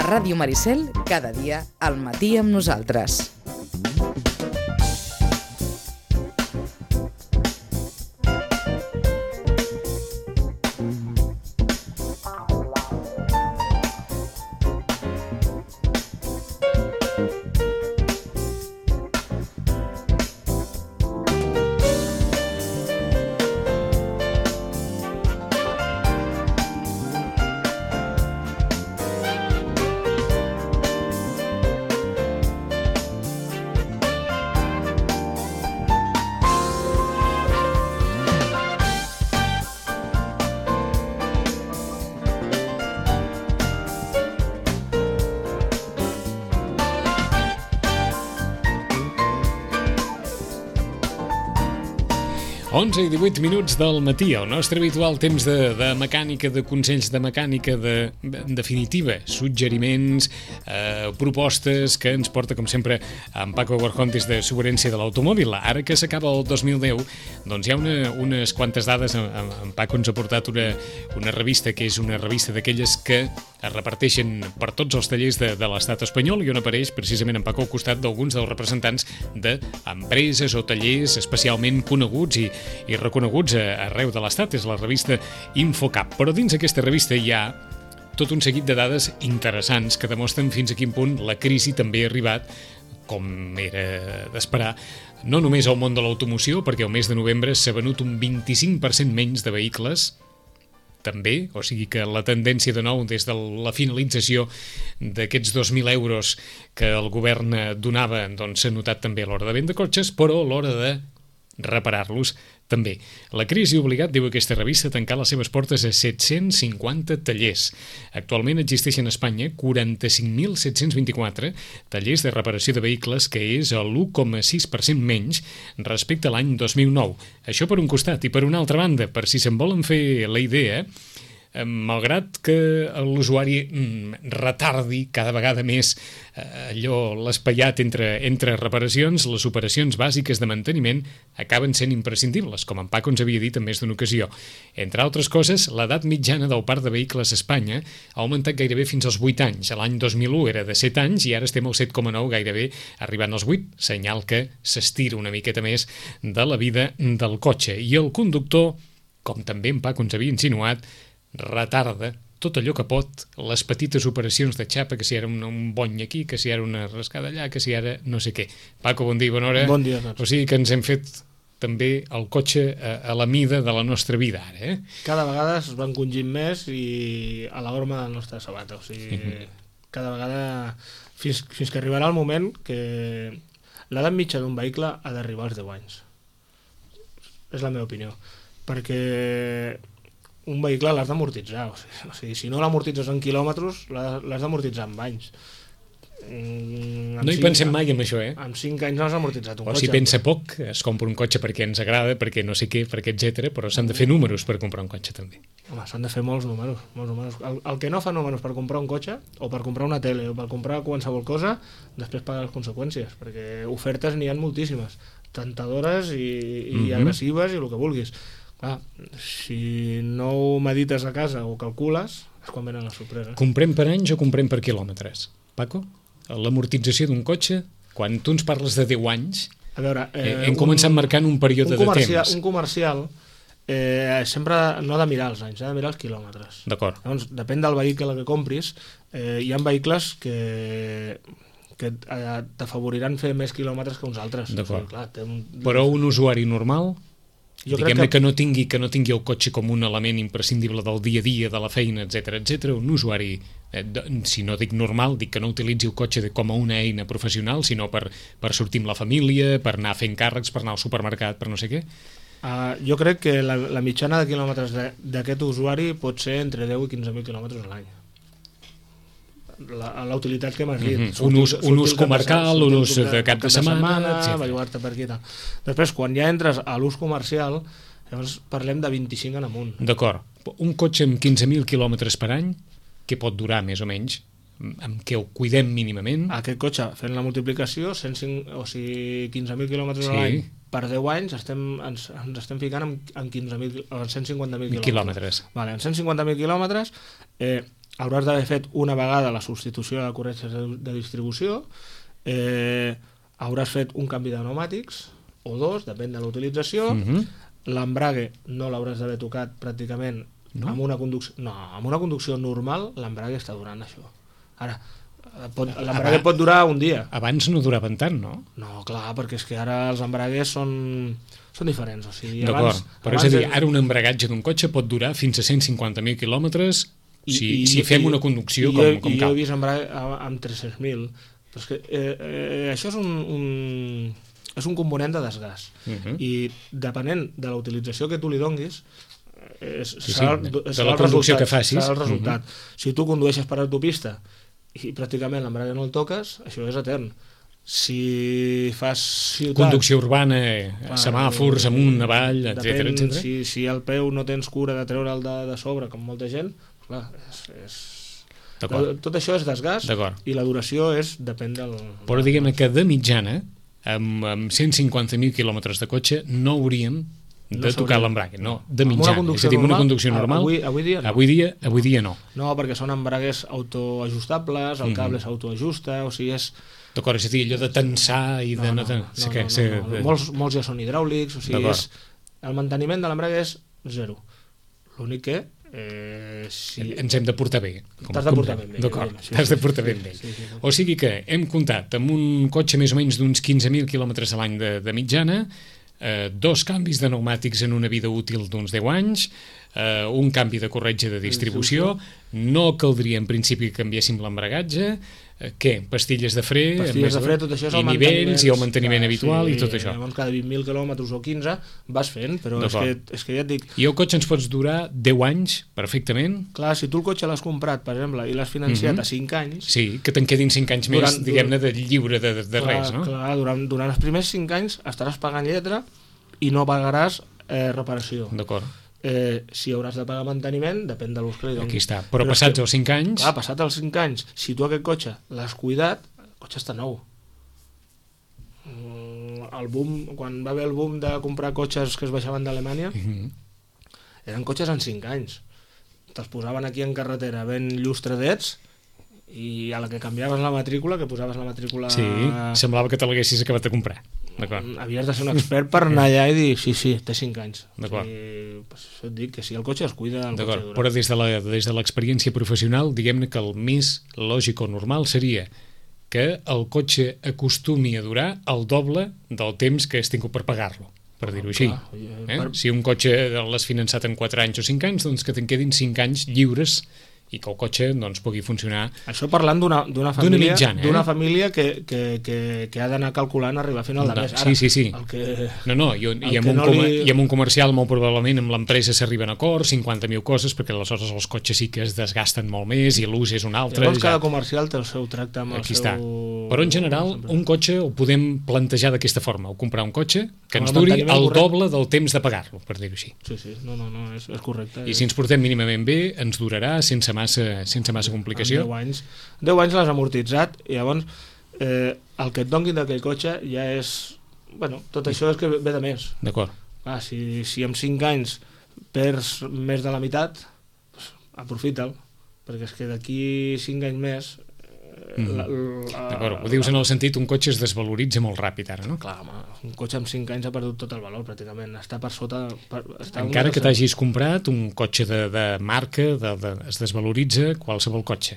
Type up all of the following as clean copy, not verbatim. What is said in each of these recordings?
A Ràdio Maricel, cada dia, al matí amb nosaltres. Onze i 18 minuts del matí, el nostre habitual temps de mecànica, de consells de mecànica, en definitiva, suggeriments, propostes que ens porta, com sempre, en Paco Borjón des de Soberència de l'Automòbil. Ara que s'acaba el 2010, doncs hi ha unes quantes dades. En Paco ens ha portat una revista que és una revista d'aquelles que es reparteixen per tots els tallers de l'estat espanyol, i on apareix precisament en Paco al costat d'alguns dels representants d'empreses o tallers especialment coneguts i reconeguts arreu de l'estat. És la revista Infocap. Però dins aquesta revista hi ha tot un seguit de dades interessants que demostren fins a quin punt la crisi també ha arribat, com era d'esperar, no només al món de l'automoció, perquè el mes de novembre s'ha venut un 25% menys de vehicles, també, o sigui que la tendència de nou des de la finalització d'aquests 2.000 euros que el govern donava, doncs s'ha notat també a l'hora de vendre cotxes, però a l'hora de reparar-los també. La crisi ha obligat, diu aquesta revista, a tancar les seves portes a 750 tallers. Actualment existeixen a Espanya 45.724 tallers de reparació de vehicles, que és l'1,6% menys respecte a l'any 2009. Això per un costat. I per una altra banda, per si se'n volen fer la idea, malgrat que l'usuari retardi cada vegada més allò l'espaiat entre reparacions, les operacions bàsiques de manteniment acaben sent imprescindibles, com en Paco ens havia dit en més d'una ocasió. Entre altres coses, l'edat mitjana del parc de vehicles a Espanya ha augmentat gairebé fins als 8 anys. L'any 2001 era de 7 anys i ara estem al 7,9, gairebé arribant als 8, senyal que s'estira una miqueta més de la vida del cotxe. I el conductor, com també en Paco ens havia insinuat, retarda tot allò que pot, les petites operacions de xapa, que si era un bony aquí, que si era una rascada allà, que si era no sé què. Paco, bon dia i bona hora. Bon dia a tots. O sigui que ens hem fet també el cotxe a la mida de la nostra vida ara, Cada vegada es van congint més i a la horma del nostre sabat. O sigui, cada vegada, fins que arribarà el moment que l'edat mitja d'un vehicle ha d'arribar als 10 anys. És la meva opinió. Perquè un vehicle l'has d'amortitzar. O sigui, si no l'amortitzes en quilòmetres, l'has d'amortitzar en anys. No hi pensem mai en això, Amb 5 anys no has amortitzat un cotxe. O si pensa poc, es compra un cotxe perquè ens agrada, perquè no sé què, perquè etc, però s'han de fer números per comprar un cotxe també. Home, s'han de fer molts números. El que no fa números per comprar un cotxe, o per comprar una tele, o per comprar qualsevol cosa, després paga les conseqüències, perquè ofertes n'hi ha moltíssimes, tentadores i agressives i el que vulguis. Clar, si no ho medites a casa o calcules, és quan venen les sorpreses. Comprem per anys o comprem per quilòmetres? Paco, l'amortització d'un cotxe, quan tu ens parles de 10 anys, a veure, hem començat marcant un període de temps. Un comercial sempre no ha de mirar els anys, ha de mirar els quilòmetres. D'acord. Llavors, depèn del vehicle que compris. Hi ha vehicles que t'afavoriran fer més quilòmetres que uns altres. D'acord. O sigui, clar, però un usuari normal, diguem-ne que no tingui el cotxe com un element imprescindible del dia a dia, de la feina, etc, un usuari, si no dic normal, dic que no utilitzi el cotxe com a una eina professional, sinó per sortir amb la família, per anar fent càrrecs, per anar al supermercat, per no sé què. Jo crec que la mitjana de quilòmetres d'aquest usuari pot ser entre 10 i 15.000 quilòmetres a l'any. La utilitat que m'has dit. Un ús comercial, un ús de cap de setmana, etc. Bellugar-te per aquí. Després, quan ja entres a l'ús comercial, llavors parlem de 25 en amunt. D'acord. Un cotxe amb 15.000 quilòmetres per any, què pot durar més o menys? Amb què ho cuidem mínimament? Aquest cotxe, fent la multiplicació, 15.000 quilòmetres a l'any per 10 anys, ens estem ficant en 150.000 quilòmetres. Vale, en 150.000 quilòmetres, hauràs d'haver fet una vegada la substitució de corretges de distribució, hauràs fet un canvi de pneumàtics, o dos, depèn de la utilització, l'embrague no l'hauràs d'haver tocat pràcticament amb una conducció normal, l'embrague està durant això. Ara, l'embrague pot durar un dia. Abans no duraven tant, no? No, clar, perquè és que ara els embragues són diferents. O sigui, d'acord, però és a dir, ara un embragatge d'un cotxe pot durar fins a 150.000 quilòmetres si fem una conducció com cal. Jo he vist embrague amb 300.000, però és que això és un component de desgast. I depenent de la utilització que tu li donguis, serà el resultat. Si tu condueixes per autopista i pràcticament l'embrague no el toques, això és etern. Si fas ciutat... Conducció urbana, semàfors amunt, avall, etc. Si al peu no tens cura de treure'l de sobre, com molta gent, clar, tot això és desgast i la duració depèn del... Però diguem que de mitjana, amb 150.000 quilòmetres de cotxe, no hauríem de tocar l'embrague, no, de mitjana. És a dir, una conducció normal, avui dia no. No, perquè són embragues autoajustables, el cable s'autoajusta, o sigui, és... D'acord, és a dir, allò de tensar i de... Molts ja són hidràulics, o sigui, el manteniment de l'embrague és zero. L'únic que... ens hem de portar bé. T'has de portar ben bé. D'acord, t'has de portar ben bé. O sigui que hem comptat amb un cotxe més o menys d'uns 15.000 quilòmetres a l'any de mitjana, 2 canvis de pneumàtics en una vida útil d'uns 10 anys, un canvi de corretge de distribució, no caldria en principi que canviéssim l'embragatge, què? Pastilles de fre, tot això és i nivells i el manteniment habitual i tot això. Llavors cada 20.000 quilòmetres o 15 vas fent, però és que ja et dic... I el cotxe ens pots durar 10 anys perfectament? Clar, si tu el cotxe l'has comprat, per exemple, i l'has financiat a 5 anys... Sí, que te'n quedin 5 anys més, diguem-ne, de lliure de res, no? Clar, durant els primers 5 anys estaràs pagant lletra i no pagaràs reparació. D'acord. Si hauràs de pagar manteniment, depèn de l'ús que li donis. Aquí està, però passats els 5 anys... Clar, passats els 5 anys, si tu aquest cotxe l'has cuidat, el cotxe està nou. Quan va haver el boom de comprar cotxes que es baixaven d'Alemanya, eren cotxes en 5 anys. Te'ls posaven aquí en carretera ben llustradets i a la que canviaves la matrícula, que posaves la matrícula... Sí, semblava que te l'haguessis acabat de comprar. Havies de ser un expert per anar allà i dir sí, té 5 anys. D'acord. Això et dic, que si el cotxe es cuida, el cotxe dura. Però des de l'experiència professional, diguem-ne que el més lògic o normal seria que el cotxe acostumi a durar el doble del temps que has tingut per pagar-lo, per dir-ho així. Si un cotxe l'has finançat en 4 anys o 5 anys, doncs que te'n quedin 5 anys lliures i que el cotxe pugui funcionar. Això parlant d'una família, d'una família que ha d'anar calculant arribar a final de mes. Ara, sí. I amb un comercial molt probablement amb l'empresa s'arriben a acords, 50.000 coses, perquè aleshores els cotxes sí que es desgasten molt més i l'ús és un altre. Llavors cada comercial té el seu tracte amb el seu... Però en general un cotxe ho podem plantejar d'aquesta forma, o comprar un cotxe que ens duri el doble del temps de pagar-lo, per dir-ho així. Sí, no, és correcte. I si ens portem mínimament bé, ens durarà sense massa complicació. 10 anys l'has amortitzat i llavors el que et donguin d'aquell cotxe ja és... tot això és que ve de més. D'acord. Si en 5 anys perds més de la meitat, aprofita'l, perquè és que d'aquí 5 anys més... D'acord, ho dius en el sentit un cotxe es desvaloritza molt ràpid ara, no? Clar, un cotxe amb 5 anys ha perdut tot el valor pràcticament, està per sota... Encara que t'hagis comprat un cotxe de marca, es desvaloritza qualsevol cotxe.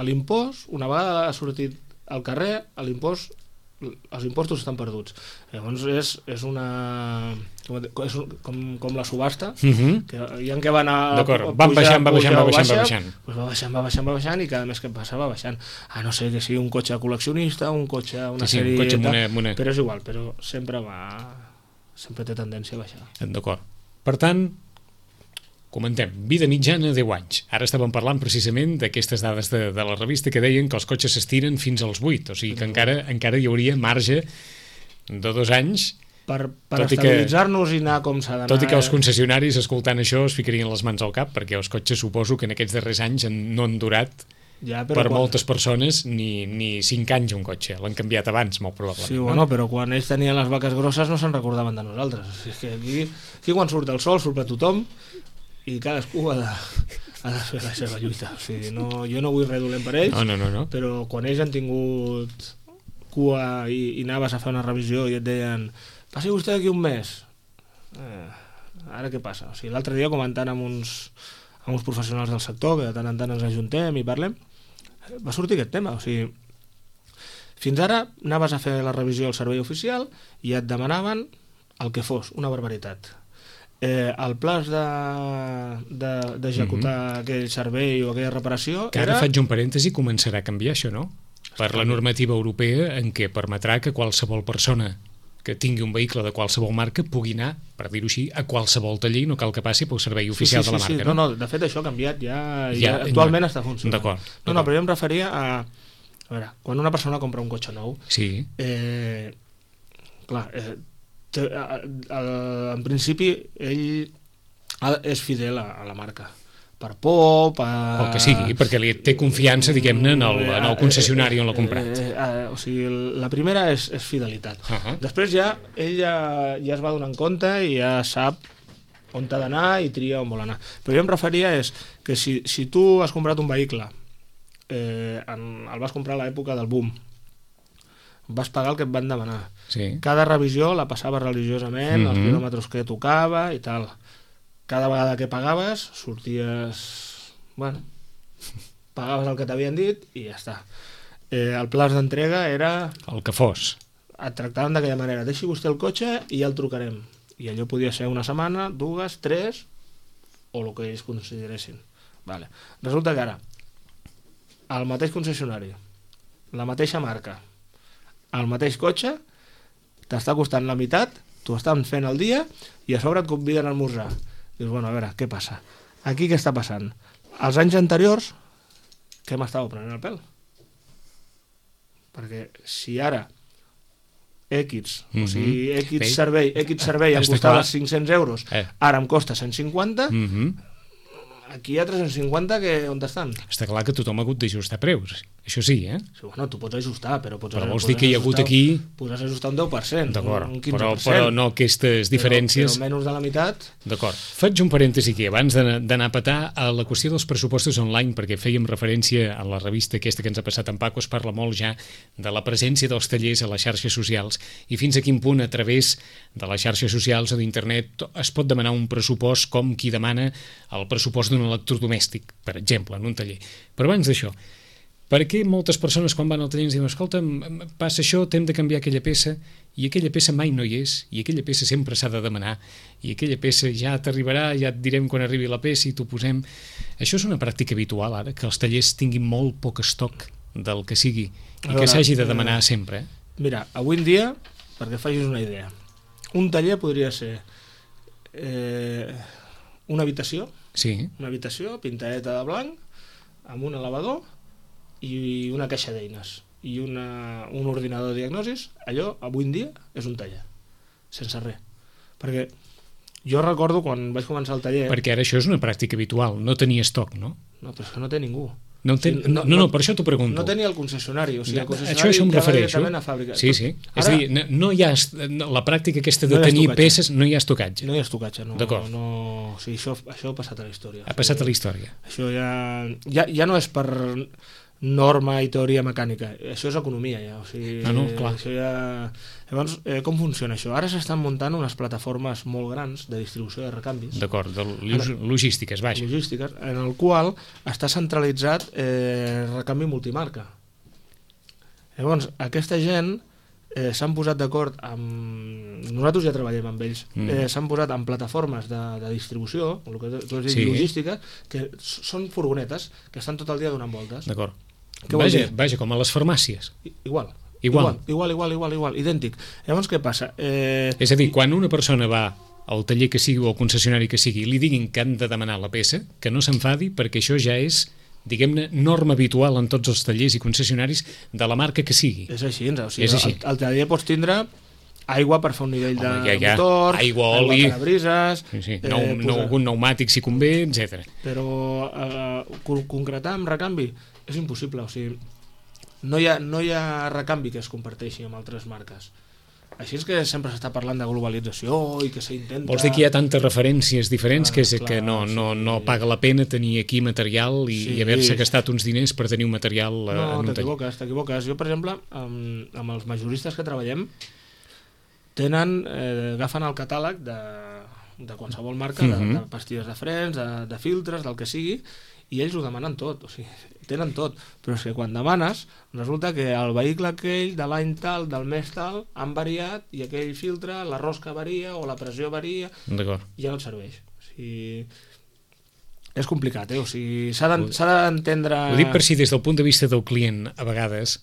L'impost, una vegada ha sortit al carrer, els impostos estan perduts. Llavors és una... com la subhasta, que hi ha que va anar... D'acord, va baixant. Va baixant i cada mes que passa va baixant. A no ser que sigui un cotxe col·leccionista, un cotxe, una sèrie... un cotxe però és igual, però sempre té tendència a baixar. D'acord. Per tant, comentem, vida mitjana 10 anys. Ara estàvem parlant precisament d'aquestes dades de la revista que deien que els cotxes s'estiren fins als 8, o sigui que encara hi hauria marge de 2 anys per estabilitzar-nos i anar com s'ha d'anar. Tot i que els concessionaris, escoltant això, es ficarien les mans al cap, perquè els cotxes suposo que en aquests darrers anys no han durat moltes persones ni 5 anys un cotxe, l'han canviat abans molt probablement. Sí, però quan ells tenien les vaques grosses no se'n recordaven de nosaltres. És que aquí quan surt el sol surt per tothom i cadascú ha ha de fer la seva lluita. O sigui, jo no vull res dolent per ells, no. però quan ells han tingut cua i anaves a fer una revisió i et deien passi vostè d'aquí un mes, ara què passa? O sigui, l'altre dia comentant amb uns professionals del sector, que de tant en tant ens ajuntem i parlem, va sortir aquest tema. O sigui, fins ara anaves a fer la revisió al servei oficial i et demanaven el que fos, una barbaritat. El plaç d'executar aquell servei o aquella reparació que ara faig un parèntesi, començarà a canviar això, no? Per la normativa europea, en què permetrà que qualsevol persona que tingui un vehicle de qualsevol marca pugui anar, per dir-ho així, a qualsevol taller i no cal que passi pel servei oficial de la marca, no? No, de fet això ha canviat, ja actualment està funcionant. D'acord. No, però jo em referia a veure, quan una persona compra un cotxe nou, clar, en principi ell és fidel a la marca, per por, o que sigui, perquè li té confiança, diguem-ne, en el concessionari on l'ha comprat. O sigui, la primera és fidelitat. Després ell ja es va donar en compte i ja sap on t'ha d'anar i tria on vol anar. Però jo em referia que si tu has comprat un vehicle, el vas comprar a l'època del boom, vas pagar el que et van demanar. Cada revisió la passava religiosament, els quilòmetres que tocava i tal. Cada vegada que pagaves sorties, bueno, pagaves el que t'havien dit i ja està. El plaç d'entrega era el que fos. Et tractaven d'aquella manera, deixi vostè el cotxe i ja el trucarem. I allò podia ser una setmana, 2, 3 o el que ells consideressin. Vale. Resulta que ara el mateix concessionari, la mateixa marca, el mateix cotxe t'està costant la meitat, t'ho estan fent el dia i a sobre et conviden a esmorzar. Dius, bueno, a veure, què passa? Aquí què està passant? Els anys anteriors, què m'estava prenent el pèl? Perquè si ara o sigui, X servei em costava 500 euros, ara em costa 150, aquí hi ha 350 que on estan? Està clar que tothom ha hagut d'ajustar preus, això sí, Sí, bueno, tu pots ajustar, però vols dir que hi ha hagut aquí... Podràs ajustar un 10%, un 15%. Però no aquestes diferències... Però menys de la meitat... D'acord. Faig un parèntesi aquí, abans d'anar a petar a la qüestió dels pressupostos online, perquè fèiem referència a la revista aquesta que ens ha passat en Paco, es parla molt ja de la presència dels tallers a les xarxes socials i fins a quin punt a través de les xarxes socials o d'internet es pot demanar un pressupost com qui demana el pressupost d'un electrodomèstic, per exemple, en un taller. Però abans d'això, per què moltes persones quan van al taller ens diuen escolta, passa això, t'hem de canviar aquella peça i aquella peça mai no hi és i aquella peça sempre s'ha de demanar i aquella peça ja t'arribarà, ja et direm quan arribi la peça i t'ho posem. Això és una pràctica habitual ara, que els tallers tinguin molt poc estoc del que sigui i que s'hagi de demanar sempre. Mira, avui en dia, perquè facis una idea, un taller podria ser una habitació, una habitació pintadeta de blanc amb un elevador i una caixa d'eines i un ordinador de diagnosis. Allò avui en dia és un taller sense res, perquè jo recordo quan vaig començar el taller, perquè ara això és una pràctica habitual, no tenir estoc, no? No, però és que no té ningú. No, per això t'ho pregunto. No tenia el concessionari, o sigui, el concessionari això em refereixo. A fàbrica. Sí. És a dir, no hi ha la pràctica aquesta de tenir peces, no hi ha estocatge. No hi ha estocatge, no. D'acord. O sigui, això ha passat a la història. Ha passat a la història. Això ja no és per norma i teoria mecànica, això és economia ja, o sigui, clar. Això ja... Llavors, com funciona això? Ara s'estan muntant unes plataformes molt grans de distribució de recanvis. D'acord, logístiques, vaja. Logístiques, en el qual està centralitzat recanvi multimarca. Llavors, aquesta gent s'han posat d'acord amb... Nosaltres ja treballem amb ells. S'han posat en plataformes de distribució, el que tu has dit, logística, que són furgonetes que estan tot el dia donant voltes. D'acord. Vaja, com a les farmàcies. Igual, idèntic. Llavors què passa? És a dir, quan una persona va al taller que sigui o al concessionari que sigui i li diguin que han de demanar la peça, que no s'enfadi perquè això ja és, diguem-ne, norma habitual en tots els tallers i concessionaris de la marca que sigui. És així, o sigui, al taller pots tindre aigua per fer un nivell de motor, aigua, oli, parabrises, algun pneumàtic si convé, etc. Però concretar amb recanvi és impossible, o sigui, no hi ha recanvi que es comparteixi amb altres marques. Així és que sempre s'està parlant de globalització i que s'intenta... Vols dir que hi ha tantes referències diferents que no paga la pena tenir aquí material i haver-se gastat uns diners per tenir un material en un taller? T'equivoques. Jo, per exemple, amb els majoristes que treballem, agafen el catàleg de qualsevol marca, de pastilles de frens, de filtres, del que sigui, i ells ho demanen tot, o sigui, tenen tot, però és que quan demanes resulta que el vehicle aquell de l'any tal, del mes tal, han variat i aquell filtre, la rosca varia o la pressió varia, ja no et serveix. O sigui, és complicat, o sigui, s'ha d'entendre... Ho dic per si des del punt de vista del client, a vegades,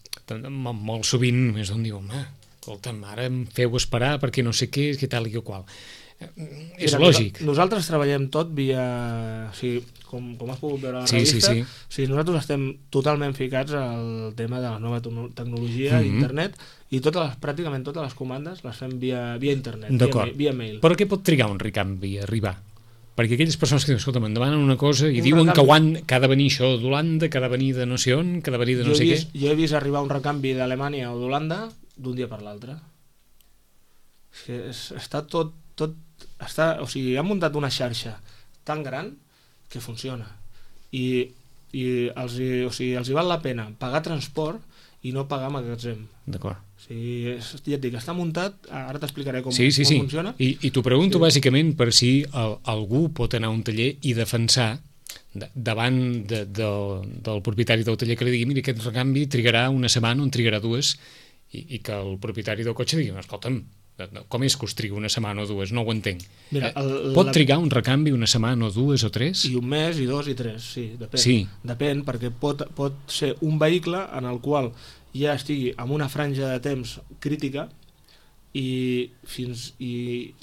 molt sovint és on diu, home, escolta'm, ara em feu esperar perquè no sé què, que tal i que qual. És lògic. Nosaltres treballem tot via... O sigui, com has pogut veure a la revista, o sigui, nosaltres estem totalment ficats al tema de la nova tecnologia, internet, i pràcticament totes les comandes les fem via internet, via mail. Però què pot trigar un recanvi a arribar? Perquè aquelles persones que diuen, escolta, me'n demanen una cosa i diuen que ha de venir això d'Holanda, que ha de venir de no sé on, que ha de venir de no sé què. Jo he vist arribar un recanvi d'Alemanya o d'Holanda d'un dia per l'altre. Està tot... O sigui, han muntat una xarxa tan gran que funciona i els hi val la pena pagar transport i no pagar magatzem. D'acord. O sigui, ja et dic, està muntat, ara t'explicaré com funciona. I t'ho pregunto bàsicament per si algú pot anar a un taller i defensar davant del propietari del taller que li digui, mira, aquest recanvi trigarà una setmana o en trigarà dues, i que el propietari del cotxe digui, escolta'm, com és que us triga una setmana o dues? No ho entenc. Mira, pot trigar un recanvi una setmana o dues o tres? I un mes, i dos, i tres, sí, depèn. Sí. Depèn, perquè pot ser un vehicle en el qual ja estigui en una franja de temps crítica i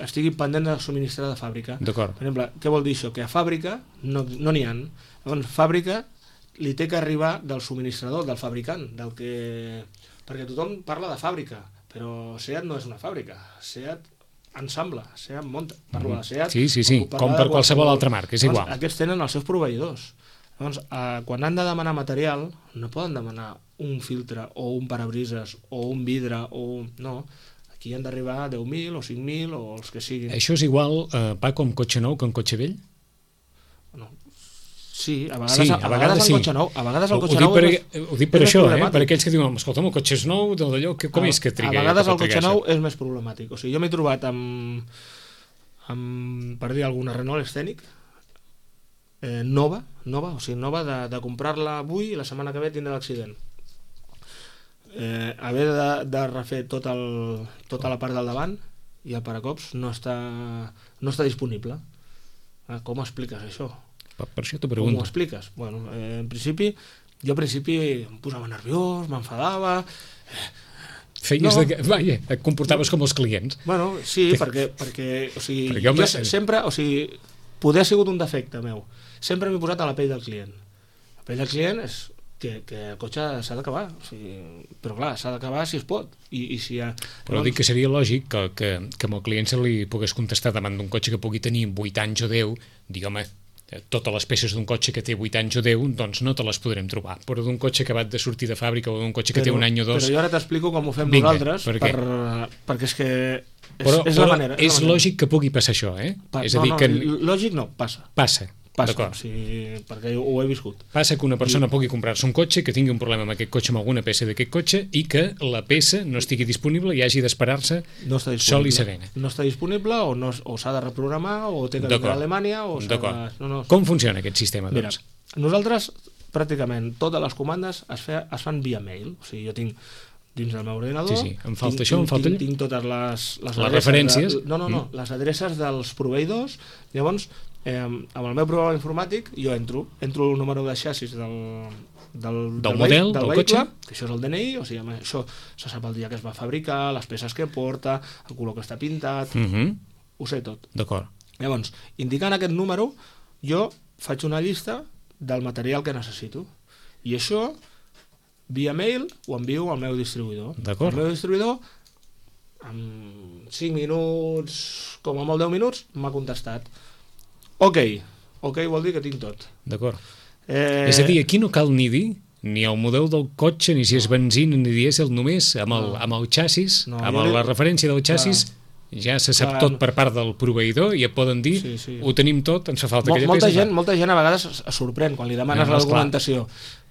estigui pendent de subministrar de fàbrica. D'acord. Per exemple, què vol dir això? Que a fàbrica no n'hi ha. Llavors, fàbrica li té que arribar del subministrador, del fabricant, perquè tothom parla de fàbrica, però SEAT no és una fàbrica, SEAT ensambla, SEAT munta, parlo de SEAT... Sí, com per qualsevol altra marca, és igual. Aquests tenen els seus proveïdors. Llavors, quan han de demanar material, no poden demanar un filtre o un parabrises o un vidre no, aquí han d'arribar a 10.000 o 5.000 o els que siguin. Això és igual, Paco, amb cotxe nou que amb cotxe vell? No. Sí, a vegades el cotxe nou... Ho dic per això, per aquells que diuen, escolta, el cotxe és nou, com és que triga? A vegades el cotxe nou és més problemàtic. O sigui, jo m'he trobat per dir alguna Renault Scenic nova, o sigui, nova de comprar-la avui i la setmana que ve tindre l'accident. Haver de refer tota la part del davant i el paracops no està disponible. Com expliques això? Per això t'ho pregunto. Com ho expliques? Bueno, jo al principi em posava nerviós, m'enfadava... et comportaves com els clients. Bueno, sí, perquè o sigui, jo sempre, o sigui, poder ha sigut un defecte meu. Sempre m'he posat a la pell del client. La pell del client és que el cotxe s'ha d'acabar, o sigui, però clar, s'ha d'acabar si es pot. Però dic que seria lògic que amb el client se li pogués contestar davant d'un cotxe que pugui tenir 8 anys o 10, dir, home, totes les peces d'un cotxe que té 8 anys o 10, doncs no te les podrem trobar, però d'un cotxe acabat de sortir de fàbrica o d'un cotxe que té un any o dos... Però jo ara t'explico com ho fem nosaltres, perquè és que és la manera. És lògic que pugui passar això, eh? Lògic no, passa. Passa, perquè ho he viscut. Passa que una persona pugui comprar-se un cotxe, que tingui un problema amb aquest cotxe, amb alguna peça d'aquest cotxe, i que la peça no estigui disponible i hagi d'esperar-se sol i serena. No està disponible o s'ha de reprogramar o té que vindre a Alemanya o s'ha de... Com funciona aquest sistema, doncs? Mira, nosaltres pràcticament totes les comandes es fan via mail. O sigui, jo tinc dins del meu ordinador... Sí, em falta això, em falta allò. Tinc totes les referències. Les adreces dels proveïdors. Llavors, amb el meu programa informàtic jo entro el número de xassis del model, del vehicle, que això és el DNI, o sigui, això se sap el dia que es va fabricar, les peces que porta, el color que està pintat, ho sé tot. D'acord. Llavors, indicant aquest número, jo faig una llista del material que necessito. I això, via mail, ho envio al meu distribuïdor. D'acord. El meu distribuïdor, en 5 minuts, com a molt 10 minuts, m'ha contestat. Ok vol dir que tinc tot. D'acord. És a dir, aquí no cal ni dir ni el model del cotxe, ni si és benzina ni dièsel, només amb el xassis, amb la referència del xassis, ja se sap tot per part del proveïdor i et poden dir, ho tenim tot, ens fa falta aquella peça. Molta gent a vegades es sorprèn quan li demanes la documentació.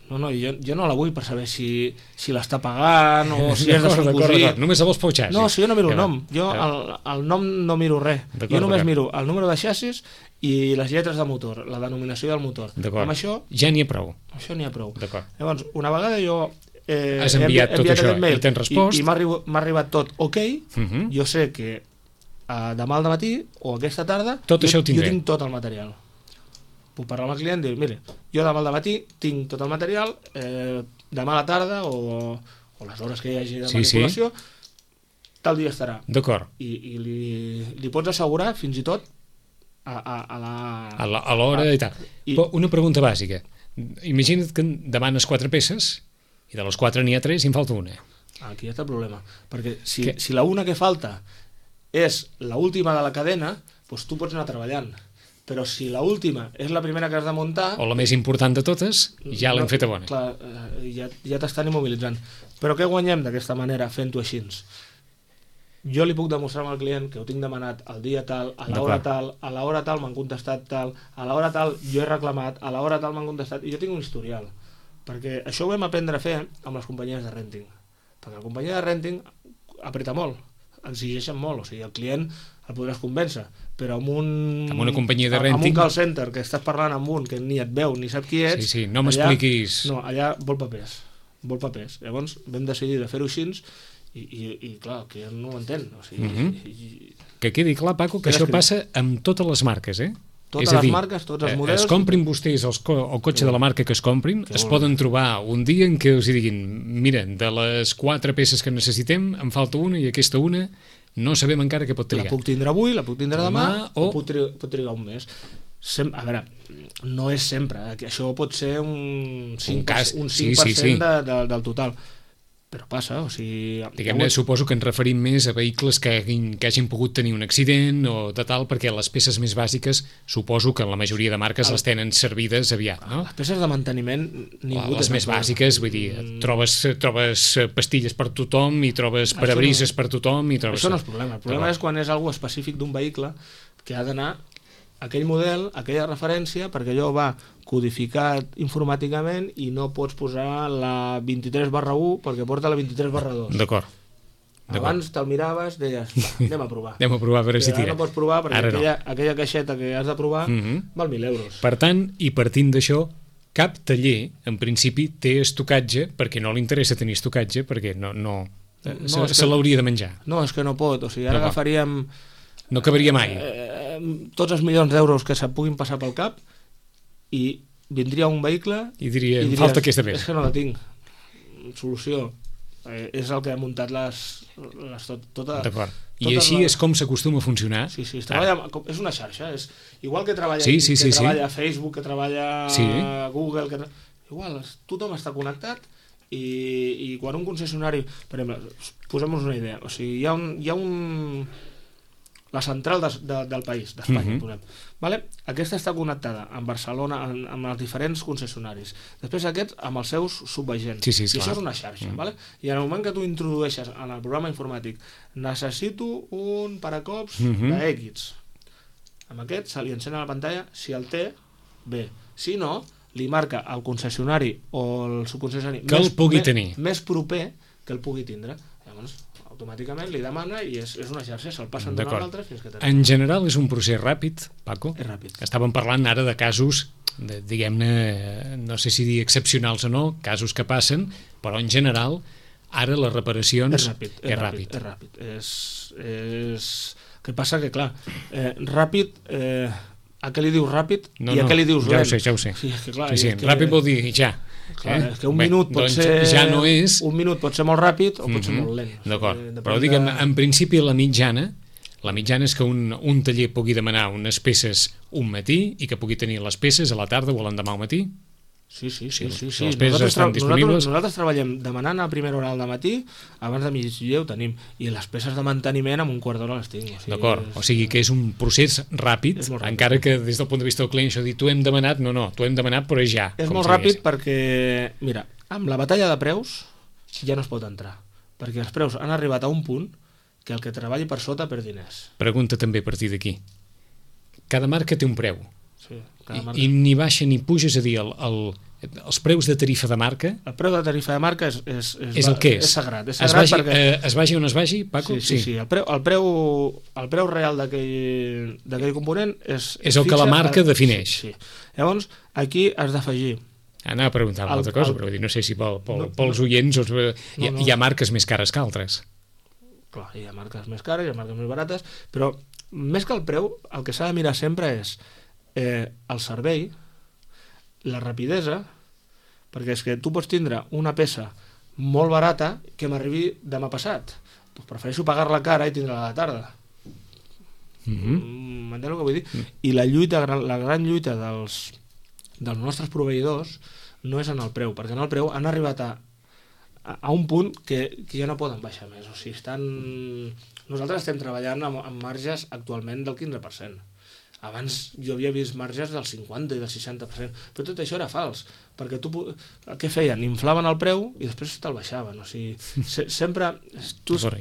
No, jo no la vull per saber si l'està pagant o si és de son cosí. Només la vols pel xassis. No, si jo no miro el nom. Jo el nom no miro res. Jo només miro el número de xassis i les lletres de motor, la denominació del motor. Amb això ja n'hi ha prou. Això n'hi ha prou. Llavors, una vegada jo has enviat tot això i t'han respost i m'ha arribat tot ok, jo sé que demà al matí o aquesta tarda jo tinc tot el material. Puc parlar amb el client i dir, mire, jo demà al matí tinc tot el material, demà a la tarda o les hores que hi hagi de manipulació, tal dia estarà. D'acord. I li pots assegurar fins i tot a l'hora i tal. Però una pregunta bàsica. Imagina't que demanes 4 peces i de les 4 n'hi ha 3 i en falta una. Aquí està el problema. Perquè si la una que falta és l'última de la cadena, doncs tu pots anar treballant. Però si l'última és la primera que has de muntar... O la més important de totes, ja l'hem feta bona. Clar, ja t'estan immobilitzant. Però què guanyem d'aquesta manera fent-ho així? Jo li puc demostrar al client que ho tinc demanat el dia tal, a l'hora tal m'han contestat tal, a l'hora tal jo he reclamat, a l'hora tal m'han contestat, i jo tinc un historial. Perquè això ho vam aprendre a fer amb les companyies de renting. Perquè la companyia de renting apreta molt, exigeixen molt, o sigui, el client el podràs convèncer, però amb una companyia de renting, amb un call center que estàs parlant amb un que ni et veu ni sap qui ets, no m'expliquis. No, allà vol papers. Llavors vam decidir de fer-ho així i clar, el client no ho entén. O sigui, que quedi clar, Paco, que això passa amb totes les marques, Totes les marques, tots els models. Es comprin vostès el cotxe de la marca que es comprin, es poden trobar un dia en què els diguin, mira, de les 4 peces que necessitem, en falta una i aquesta una no sabem encara què pot trigar. La puc tindre avui, la puc tindre demà o pot trigar un mes. A veure, no és sempre, això pot ser un 5% del total, però passa, o sigui... Diguem-ne, suposo que ens referim més a vehicles que hagin pogut tenir un accident o de tal, perquè les peces més bàsiques suposo que en la majoria de marques les tenen servides aviat, no? Les peces de manteniment ningú... Les més bàsiques, vull dir, trobes pastilles per tothom i trobes parabrises per tothom i trobes... Això no és problema, el problema és quan és algo específic d'un vehicle que ha d'anar aquell model, aquella referència, perquè allò va codificat informàticament i no pots posar la 23/1 perquè porta la 23/2. D'acord. Abans te'l miraves, deies, anem a provar. Anem a provar, a veure si tira. Ara no pots provar perquè aquella caixeta que has de provar val 1.000 euros. Per tant, i partint d'això, cap taller, en principi, té estocatge perquè no li interessa tenir estocatge, perquè se l'hauria de menjar. No, és que no pot. O sigui, ara agafaríem... No cabaria mai. Tots els milions d'euros que se't puguin passar pel cap i vindria un vehicle i diria, falta aquesta peça. És que no la tinc. Solució. És el que ha muntat tota... D'acord. I així és com s'acostuma a funcionar? Sí, és una xarxa. És igual que treballa Facebook, que treballa Google, igual, tothom està connectat i quan un concessionari... Per exemple, posem-nos una idea. O sigui, hi ha la central del país, d'Espanya, vale? Aquesta està connectada amb Barcelona, amb els diferents concessionaris. Després aquests amb els seus subagents. I això és una xarxa. Vale? I en el moment que tu introdueixes en el programa informàtic necessito un paracops d'X, amb aquest se li encén a la pantalla, si el té, bé. Si no, li marca al concessionari o el subconcessionari que el pugui tenir més proper que el pugui tindre. Llavors, automàticament li demana i és una xarxa, se'l passen d'una a l'altra fins que té. En general és un procés ràpid, Paco? És ràpid. Estàvem parlant ara de casos, diguem-ne, no sé si dir excepcionals o no, casos que passen, però en general ara les reparacions... És ràpid. Què passa? Que clar, ràpid... A què li dius ràpid i a què li dius lent? Ja ho sé. Sí, ràpid vol dir ja. És que un minut pot ser... Ja no és... Un minut pot ser molt ràpid o pot ser molt lent. D'acord, però diguem, en principi la mitjana és que un taller pugui demanar unes peces un matí i que pugui tenir les peces a la tarda o l'endemà al matí. Sí. Les peces estan disponibles. Nosaltres treballem demanant a primera hora al matí, abans de migdia ho tenim, i les peces de manteniment amb un quart d'hora les tinc. D'acord, o sigui que és un procés ràpid, encara que des del punt de vista del client això dir, t'ho hem demanat, no, t'ho hem demanat però és ja. És molt ràpid perquè, mira, Amb la batalla de preus ja no es pot entrar, perquè els preus han arribat a un punt que el que treballi per sota perd diners. Pregunta també a partir d'aquí. Cada marca té un preu. Sí, cada marca. I ni baixa ni puja, és a dir, els preus de tarifa de marca... El preu de tarifa de marca és el que és. És sagrat. És sagrat perquè... Es vagi on es vagi, Paco? Sí. El preu real d'aquell component és el que la marca defineix. Sí. Llavors, aquí has d'afegir... Anava a preguntar una altra cosa, però no sé si pels oients hi ha marques més cares que altres. Clar, hi ha marques més cares, hi ha marques més barates, però més que el preu, el que s'ha de mirar sempre és el servei, la rapidesa, perquè és que tu pots tindre una peça molt barata que m'arribi demà passat. Doncs prefereixo pagar-la cara i tindre-la a la tarda. M'entens el que vull dir? I la gran lluita dels nostres proveïdors no és en el preu, perquè en el preu han arribat a un punt que ja no poden baixar més. O sigui, nosaltres estem treballant amb marges actualment del 15%. Abans jo havia vist marges del 50 i del 60%, però tot això era fals, perquè què feien? Inflaven el preu i després te'l baixaven. O sigui, sempre...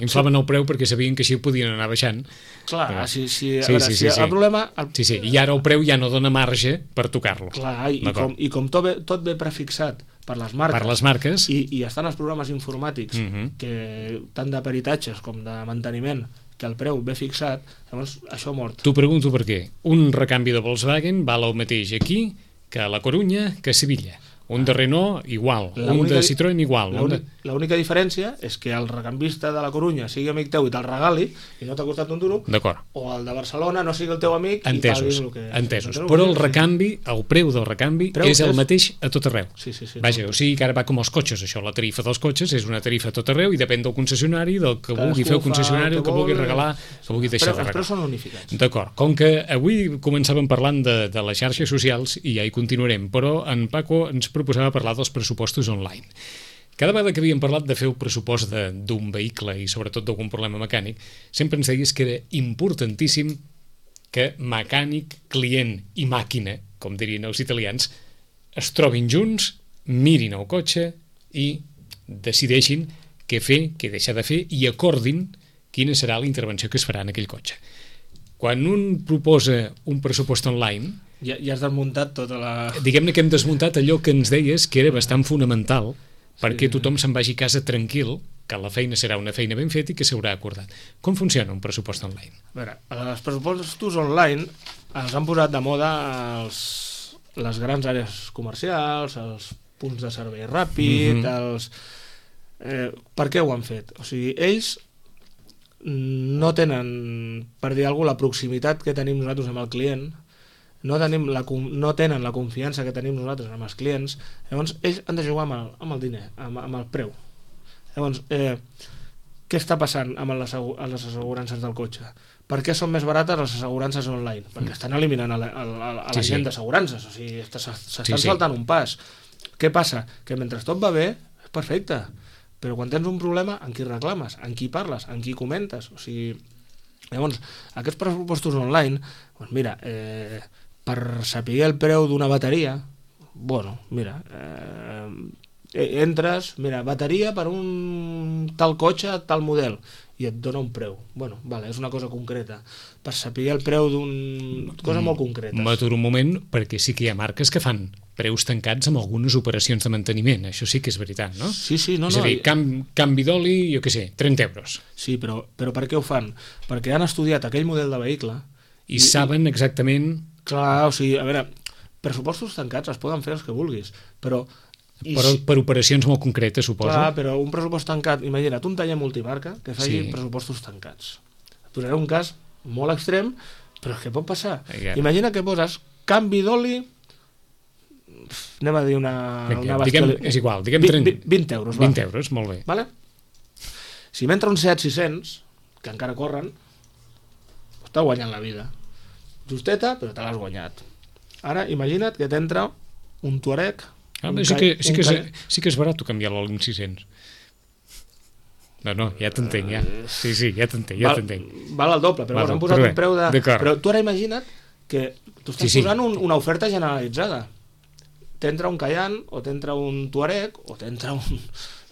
Inflaven el preu perquè sabien que així ho podien anar baixant. Clar, el problema... Sí, i ara el preu ja no dona marge per tocar-lo. Clar, i com tot ve prefixat per les marques, i estan els programes informàtics, tant de peritatges com de manteniment, que el preu ve fixat, llavors això ha mort. T'ho pregunto per què. Un recanvi de Volkswagen val el mateix aquí que a La Corunya, que a Sevilla. Un de Renault, igual. Un de Citroën, igual. L'única diferència és que el recambista de La Corunya sigui amic teu i te'l regali i no t'ha costat un duro. D'acord. O el de Barcelona no sigui el teu amic i paguis el que... Entesos. Però el recanvi, el preu del recanvi és el mateix a tot arreu. Sí. Vaja, o sigui que ara va com els cotxes, això. La tarifa dels cotxes és una tarifa a tot arreu i depèn del concessionari, del que vulgui fer el concessionari, el que vulgui regalar, que vulgui deixar de regalar. Els preus són unificats. D'acord. Com que avui començàvem parlant de les xarxes socials i ja hi continuarem, però en Paco ens proposava parlar dels pressupostos online. Cada vegada que havíem parlat de fer el pressupost d'un vehicle i sobretot d'algun problema mecànic, sempre ens deies que era importantíssim que mecànic, client i màquina, com dirien els italians, es trobin junts, mirin el cotxe i decideixin què fer, què deixar de fer i acordin quina serà la intervenció que es farà en aquell cotxe. Quan un proposa un pressupost online... Ja has desmuntat tota la... Diguem-ne que hem desmuntat allò que ens deies que era bastant fonamental perquè tothom se'n vagi a casa tranquil, que la feina serà una feina ben feta i que s'haurà acordat. Com funciona un pressupost online? A veure, els pressupostos online els han posat de moda les grans àrees comercials, els punts de servei ràpid, per què ho han fet? O sigui, ells no tenen, per dir alguna cosa, la proximitat que tenim nosaltres amb el client, no tenen la confiança que tenim nosaltres amb els clients, llavors ells han de jugar amb el diner, amb el preu. Llavors, què està passant amb les assegurances del cotxe? Per què són més barates les assegurances online? Perquè estan eliminant a la gent d'assegurances, o sigui, s'estan saltant un pas. Què passa? Que mentre tot va bé, és perfecte, però quan tens un problema, amb qui reclames? Amb qui parles? Amb qui comentes? O sigui, llavors, aquests pressupostos online, doncs mira, per saber el preu d'una bateria, bueno, mira, entres, mira, bateria per un tal cotxe, tal model, i et dona un preu. Bueno, vale, és una cosa concreta. Per saber el preu d'una cosa molt concreta. M'aturo un moment, perquè sí que hi ha marques que fan preus tancats amb algunes operacions de manteniment. Això sí que és veritat, no? Sí, no. És a dir, canvi d'oli, jo què sé, 30 euros. Sí, però per què ho fan? Perquè han estudiat aquell model de vehicle i saben exactament... Clar, o sigui, a veure, pressupostos tancats es poden fer els que vulguis, però per operacions molt concretes, suposo. Clar, però un pressupost tancat, imagina't, un taller multimarca que faci pressupostos tancats. Et posaré un cas molt extrem, però és que pot passar. Imagina que poses canvi d'oli, anem a dir una és igual, diguem 20 euros. 20 euros, molt bé. Vale? Si m'entra un Seat 600, que encara corren, està guanyant la vida. Justeta, però te l'has guanyat. Ara, imagina't que t'entra un Touareg... Sí que és barat canviar l'oli amb 600. No, ja t'entenc, ja. Sí, ja t'entenc. Val el doble, però hem posat un preu de... Però tu ara imagina't que tu estàs posant una oferta generalitzada. t'entra un Cayenne, o t'entra un Touareg, o t'entra un...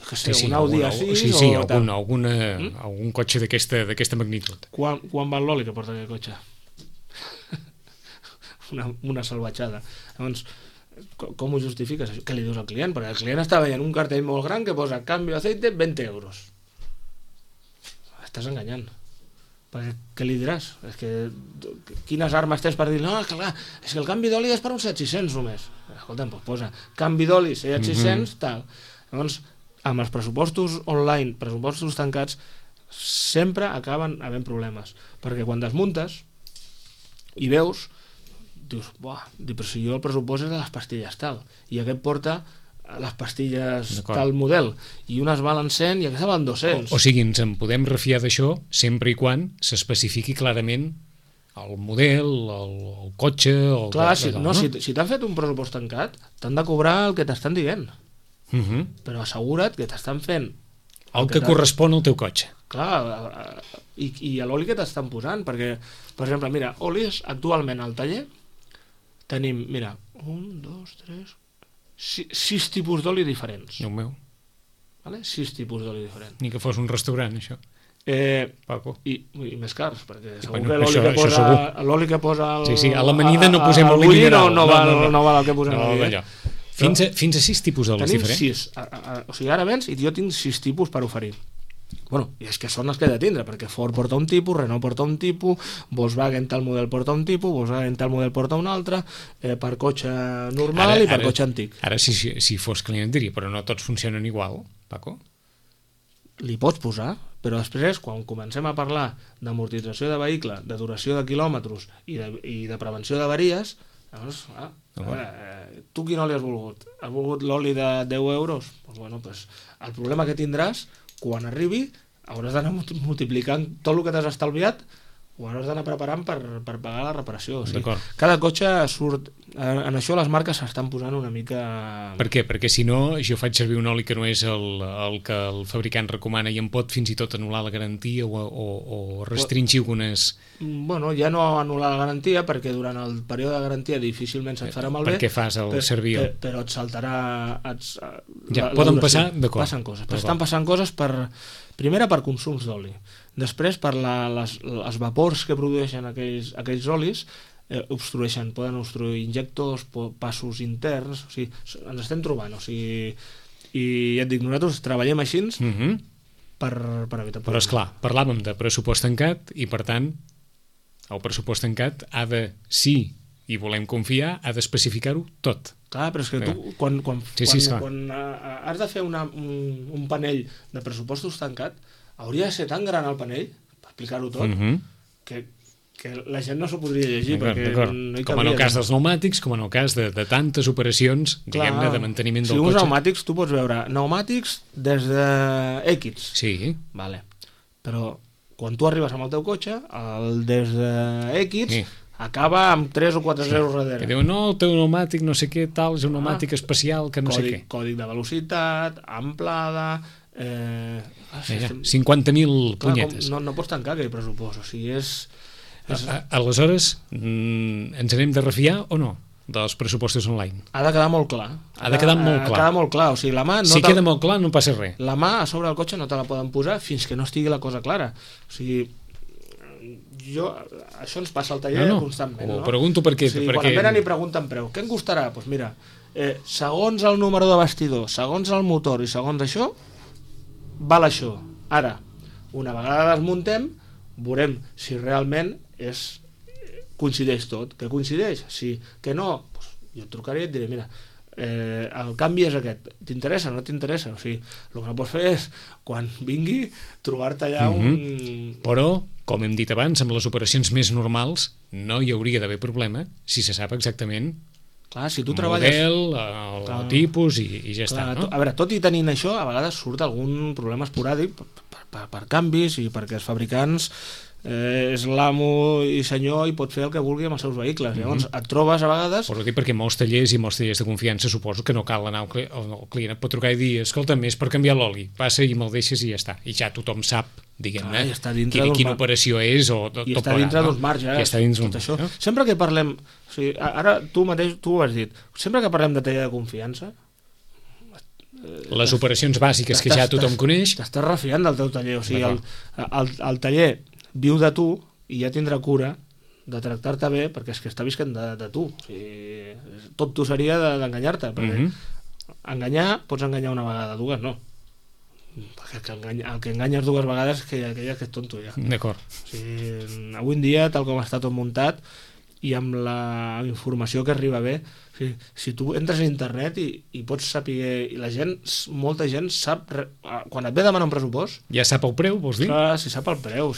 Sí, un Audi A6 sí, o algun cotxe d'aquesta magnitud. Quan val l'oli que porta aquest cotxe? una salvatjada. Llavors, com ho justifiques això? Què li dius al client? Perquè el client està veient un cartell molt gran que posa canvi d'aceite 20 euros. Estàs enganyant. Perquè què li diràs? És que quines armes tens per dir no, és que el canvi d'oli és per uns 700 només. Escolta'm, doncs posa canvi d'oli 600, tal. Llavors, amb els pressupostos online, pressupostos tancats, sempre acaben havent problemes. Perquè quan desmuntes i veus, dius, però si jo el pressupost és de les pastilles tal, i aquest porta les pastilles tal model, i unes valen 100 i aquesta valen 200. O sigui, ens en podem refiar d'això sempre i quan s'especifiqui clarament el model, el cotxe... Clar, si t'han fet un pressupost tancat, t'han de cobrar el que t'estan dient. Però assegura't que t'estan fent el que correspon al teu cotxe. Clar, i a l'oli que t'estan posant, perquè, per exemple, mira, olis actualment al taller tenim, mira, 1, 2, 3, 6 tipus d'oli diferents. Déu meu. 6 tipus d'oli diferents. Ni que fos un restaurant, això. Paco. I més cars, perquè segur que l'oli que posa a l'amanida no posem oli mineral. No val el que posem oli. Fins a 6 tipus d'olis diferents? Tenim 6. O sigui, ara vens i jo tinc 6 tipus per oferir. Bueno, i és que són els que he de tindre, perquè Ford porta un tipus, Renault porta un tipus, Volkswagen tal model porta un tipus, Volkswagen tal model porta un altre, per cotxe normal i per cotxe antic. Ara, si fos client diria, però no tots funcionen igual, Paco? Li pots posar, però després, quan comencem a parlar d'amortització de vehicle, de duració de quilòmetres i de prevenció d'avaries, llavors, tu quin oli has volgut? Has volgut l'oli de 10 euros? Doncs el problema que tindràs quan arribi hauràs d'anar multiplicant tot el que t'has estalviat, ho hauràs d'anar preparant per pagar la reparació. O sigui, cada cotxe surt... En això les marques s'estan posant una mica... Per què? Perquè si no, jo faig servir un oli que no és el que el fabricant recomana i em pot fins i tot anul·lar la garantia o restringir algunes... Bueno, ja no anul·lar la garantia, perquè durant el període de garantia difícilment se't farà malbé. Perquè fas el servir. Però et saltarà... Poden passar, d'acord. Passen coses. Estan passant coses primera per consums d'oli. Després per les vapors que produeixen aquells olis, poden obstruir injectors, passos interns, o sigui, ens estem trobant, o sigui, i ja et dic, nosaltres treballem així per evitar... Però esclar, parlàvem de pressupost tancat i per tant el pressupost tancat ha de, i volem confiar, ha d'especificar-ho tot. Clar, però és que tu quan has de fer un panell de pressupostos tancat, hauria de ser tan gran el panell per explicar-ho tot que la gent no s'ho podria llegir, perquè no hi cabia. Com en el cas dels pneumàtics, com en el cas de tantes operacions, diguem-ne, de manteniment del cotxe. Si uns pneumàtics, tu pots veure pneumàtics des de X. Sí. Vale. Però quan tu arribes amb el teu cotxe, el des de X acaba amb 3 o 4 zeros darrere. Que diuen, no, el teu pneumàtic no sé què tal, és un pneumàtic especial que no sé què. Còdic de velocitat, amplada... 50.000 punyetes. No pots tancar aquell pressupost, o sigui, és... Aleshores, ens n'hem de refiar o no dels pressupostos online? Ha de quedar molt clar. Ha de quedar molt clar. O sigui, la mà si queda molt clar no passa res. La mà a sobre del cotxe no te la poden posar fins que no estigui la cosa clara. O sigui, això ens passa al taller constantment. Ho pregunto perquè... O sigui, quan venen i pregunten preu, què em costarà? Doncs mira, segons el número de bastidor, segons el motor i segons això, val això. Ara, una vegada desmuntem, veurem si realment coincideix tot. Que coincideix? Sí. Que no? Doncs jo et trucaré i et diré, mira, el canvi és aquest. T'interessa o no t'interessa? O sigui, el que no pots fer és, quan vingui, trobar-te allà un... Però, com hem dit abans, amb les operacions més normals no hi hauria d'haver problema si se sap exactament si tu el model, el tipus i ja està, no? A veure, tot i tenint això, a vegades surt algun problema esporàdic per canvis i perquè els fabricants és l'amo i senyor i pot fer el que vulgui amb els seus vehicles. Llavors et trobes a vegades... Poso dir perquè molts tallers de confiança suposo que no cal anar el client et pot trucar i dir, escolta, és per canviar l'oli, passa i me'l deixes i ja està, i ja tothom sap, diguem-ne, quina operació és o tot i està dintre d'uns marges, tot això. Sempre que parlem, o sigui, ara tu mateix ho has dit, sempre que parlem de taller de confiança, les operacions bàsiques que ja tothom coneix, t'estàs refiant del teu taller, o sigui, el taller viu de tu i ja tindrà cura de tractar-te bé perquè és que està visquent de tu, o sigui, tot tu seria d'enganyar-te, perquè enganyar, pots enganyar una vegada, dues no, perquè el que enganyes dues vegades és que és tonto ja. D'acord. O sigui, avui en dia, tal com està tot muntat i amb la informació que arriba bé, o sigui, si tu entres a internet i pots saber, i la gent, molta gent sap, quan et ve a demanar un pressupost, ja sap el preu, vols dir? Clar, si sap el preu,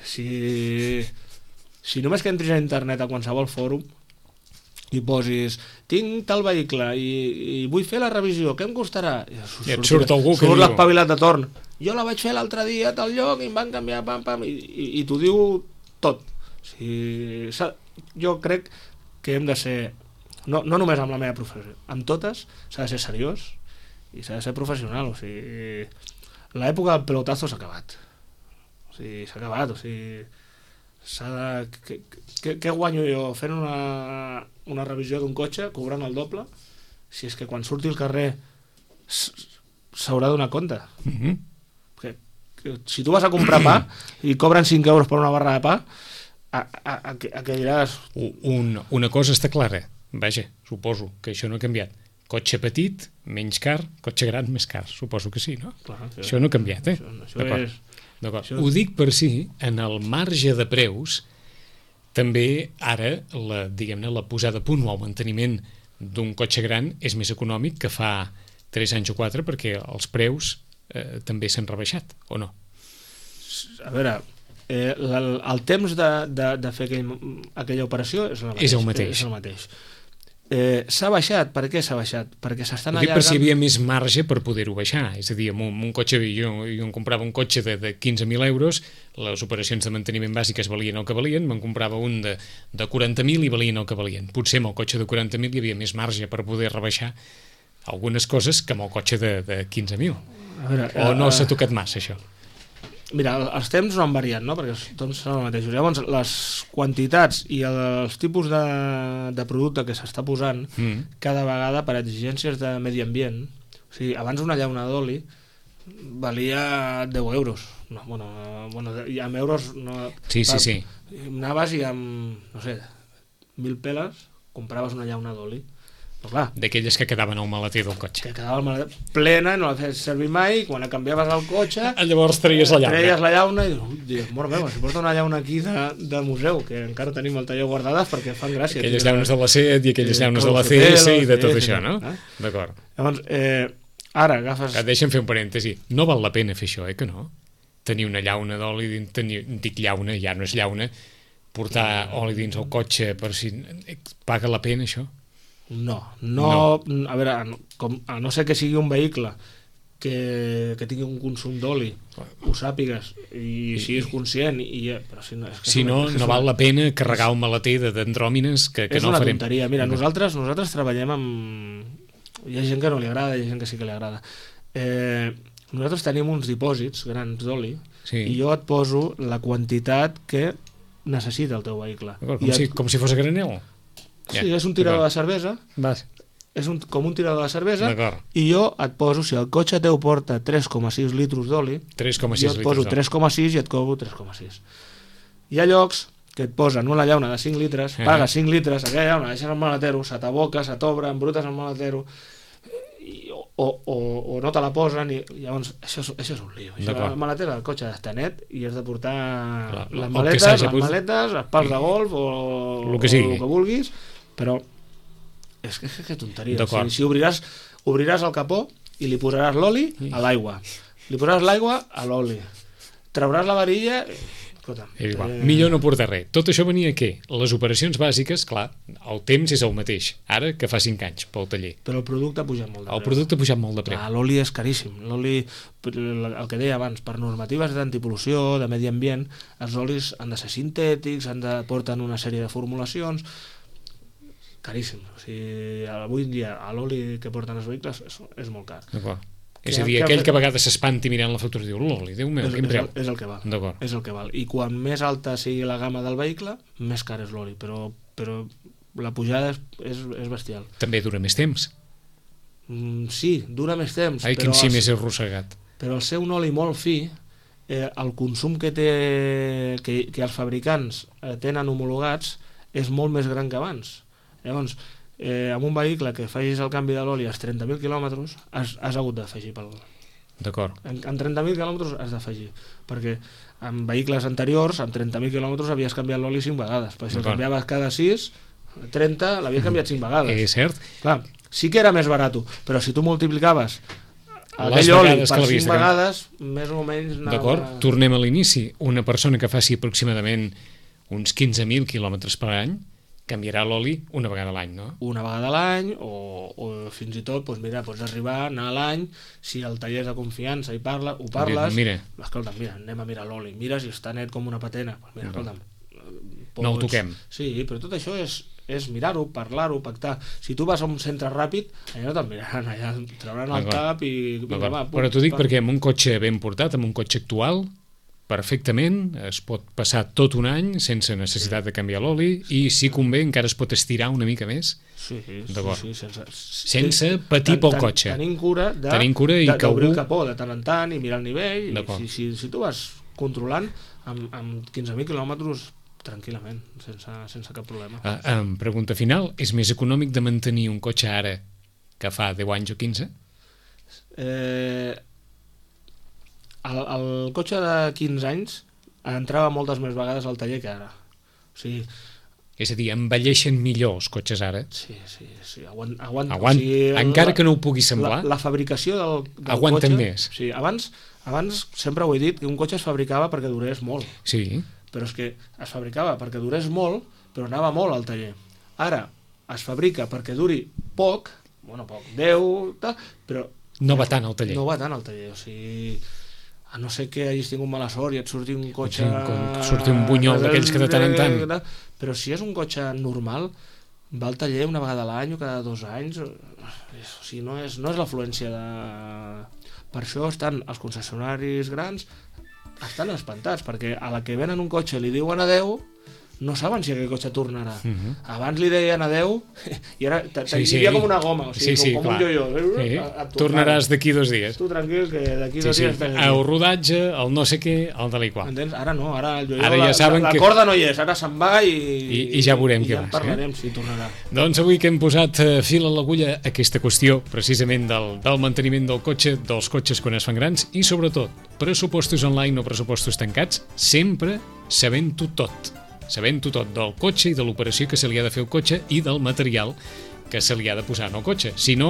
si només que entris a internet a qualsevol fòrum i posis tinc tal vehicle i vull fer la revisió, què em costarà? I et surt algú que diu l'espavilat de torn, jo la vaig fer l'altre dia a tal lloc i em van canviar i t'ho diu tot. O sigui, jo crec que hem de ser, no només amb la meva professió, amb totes s'ha de ser seriós i s'ha de ser professional. O sigui, l'època del pelotazo s'ha acabat, o sigui, què guanyo jo fent una revisió d'un cotxe cobrant el doble si és que quan surti al carrer s'haurà de donar compte. Si tu vas a comprar pa i cobren 5 euros per una barra de pa, a què diràs? Una cosa està clara, vaja, suposo que això no ha canviat. Cotxe petit, menys car, cotxe gran, més car, suposo que sí, no? Clar, això no ha canviat, D'acord. Ho dic per si, en el marge de preus, també ara, la posada a punt o el manteniment d'un cotxe gran és més econòmic que fa 3 anys o 4 perquè els preus també s'han rebaixat, o no? A veure, el temps de fer aquella operació és el mateix. S'ha baixat, per què s'ha baixat? Perquè s'estan allargant... Per si hi havia més marge per poder-ho baixar, és a dir, amb un cotxe, jo em comprava un cotxe de 15.000 euros, les operacions de manteniment bàsiques valien el que valien, me'n comprava un de 40.000 i valien el que valien. Potser amb el cotxe de 40.000 hi havia més marge per poder rebaixar algunes coses que amb el cotxe de 15.000. O no s'ha tocat massa, això? Mira, els temps no han variat, no? Perquè tots són els mateixos. Llavors, les quantitats i els tipus de producte que s'està posant cada vegada per exigències de medi ambient, o sigui, abans una llauna d'oli valia 10 euros. No, i amb euros... No, sí. Anaves i amb, no sé, 1.000 peles compraves una llauna d'oli. D'aquelles que quedaven al maleter del cotxe. Que quedava al maleter plena, no la feies servir mai, i quan la canviaves al cotxe... Llavors treies la llauna i dius, mort meva, si porta una llauna aquí de museu, que encara tenim al taller guardades perquè fan gràcia. Aquelles llaunes de la CET i aquelles llaunes de la CS i de tot això, no? D'acord. Llavors, ara agafes... Deixa'm fer un parèntesi. No val la pena fer això, que no? Tenir una llauna d'oli, dic llauna, ja no és llauna, portar oli dins el cotxe per si... Paga la pena, això? No. A veure, a no ser que sigui un vehicle que tingui un consum d'oli, ho sàpigues i siguis conscient, però si no, no val la pena carregar un maleter d'andròmines que no farem. És una tonteria. Mira, nosaltres treballem amb... Hi ha gent que no li agrada, hi ha gent que sí que li agrada. Nosaltres tenim uns dipòsits grans d'oli i jo et poso la quantitat que necessita el teu vehicle. Com si fos a granel? Sí, és un tirador de cervesa, és com un tirador de cervesa, i jo et poso, si el cotxe teu porta 3,6 litres d'oli, jo et poso 3,6 i et cobro 3,6. Hi ha llocs que et posen una llauna de 5 litres, pagues 5 litres, aquella llauna deixes al maletero, se t'aboca, se t'obre, embrutes al maletero, o no te la posen, i llavors això és un lío. El maleter del cotxe està net i has de portar les maletes, els pals de golf o el que vulguis, però és que tonteria. Si obriràs el capó i li posaràs l'oli a l'aigua, li posaràs l'aigua a l'oli, trauràs la varilla, Escolta, Millor no portar res. Tot això venia a què? Les operacions bàsiques, clar, el temps és el mateix, ara que fa 5 anys pel taller. Però el producte ha pujat molt de preu. El producte ha pujat molt de preu. L'oli és caríssim. L'oli, el que deia abans, per normatives d'antipol·lució, de medi ambient, els olis han de ser sintètics, porten una sèrie de formulacions, caríssim. O sigui, avui en dia l'oli que porten els vehicles és molt car. D'acord. És a dir, aquell que a vegades s'espanti mirant la factura i diu, l'oli, Déu meu, quin preu. És el que val. D'acord. És el que val. I quan més alta sigui la gamma del vehicle, més car és l'oli, però la pujada és bestial. També dura més temps. Sí, dura més temps. Ai, quin sí més arrossegat. Però al ser un oli molt fi, el consum que els fabricants tenen homologats és molt més gran que abans. Llavors, amb un vehicle que facis el canvi de l'oli als 30.000 quilòmetres has hagut d'afegir D'acord. En 30.000 quilòmetres has d'afegir, perquè en vehicles anteriors amb 30.000 quilòmetres havies canviat l'oli 5 vegades, perquè si el canviaves cada 6, 30 l'havies canviat 5 vegades. És cert. Clar, sí que era més barat, però si tu multiplicaves aquell oli per 5 vegades, més o menys anava... D'acord, tornem a l'inici. Una persona que faci aproximadament uns 15.000 quilòmetres per any canviarà l'oli una vegada a l'any, no? Una vegada a l'any, o fins i tot, doncs mira, pots arribar a anar a l'any, si el taller és de confiança i ho parles, escolta, mira, anem a mirar l'oli, mira si està net com una patena, pues mira, escolta, no el toquem. Sí, però tot això és mirar-ho, parlar-ho, pactar. Si tu vas a un centre ràpid, allà no te'n miraran, allà trauran el cap i... Però t'ho dic perquè amb un cotxe ben portat, amb un cotxe actual, perfectament, es pot passar tot un any sense necessitat de canviar l'oli i si convé encara es pot estirar una mica més. Sí, sense patir pel cotxe. Tenim cura d'obrir el capó de tant en tant i mirar el nivell, i si tu vas controlant amb 15.000 quilòmetres tranquil·lament, sense cap problema. Pregunta final, és més econòmic de mantenir un cotxe ara que fa 10 anys o 15? El cotxe de 15 anys entrava moltes més vegades al taller que ara. O sigui, és a dir, envelleixen millor els cotxes ara? Sí, aguanten. O sigui, encara que no ho pugui semblar? La fabricació del aguanten cotxe... més. Sí, abans sempre ho he dit, que un cotxe es fabricava perquè durés molt. Sí. Però és que es fabricava perquè durés molt, però anava molt al taller. Ara es fabrica perquè duri poc, 10, però... No va tant al taller. No va tant al taller, o sigui... A no ser que hagis tingut mala sort i et surti un cotxe... Surti un bunyol d'aquells que de tant en tant... Però si és un cotxe normal, va al taller una vegada a l'any o cada 2 anys... O sigui, no és l'afluència de... Per això estan els concessionaris grans estan espantats, perquè a la que venen un cotxe li diuen adeu, no saben si aquell cotxe tornarà. Abans li deien adeu i ara hi havia com una goma, o sigui, com un yo-yo. Tornaràs d'aquí 2 dies. Tu tranquil, que d'aquí 2 dies estàs aquí. El rodatge, el no sé què, el de l'igual. Entens? Ara no, ara el yo-yo, la corda no hi és, ara se'n va i ja veurem què va. I ja parlarem si tornarà. Doncs avui que hem posat fil a l'agulla aquesta qüestió, precisament del manteniment del cotxe, dels cotxes quan es fan grans, i sobretot, pressupostos online o pressupostos tancats, sempre sabent-ho tot. Sabent-ho tot del cotxe i de l'operació que se li ha de fer al cotxe i del material que se li ha de posar en el cotxe. Si no,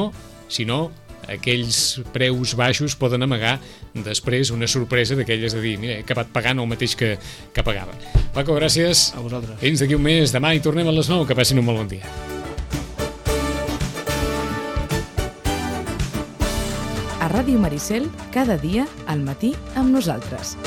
aquells preus baixos poden amagar després una sorpresa d'aquelles de dir, mira, he acabat pagant el mateix que pagava. Paco, gràcies. A vosaltres. Fins d'aquí un mes, demà hi tornem a les 9, que passin un molt bon dia. A Ràdio Maricel, cada dia al matí amb nosaltres.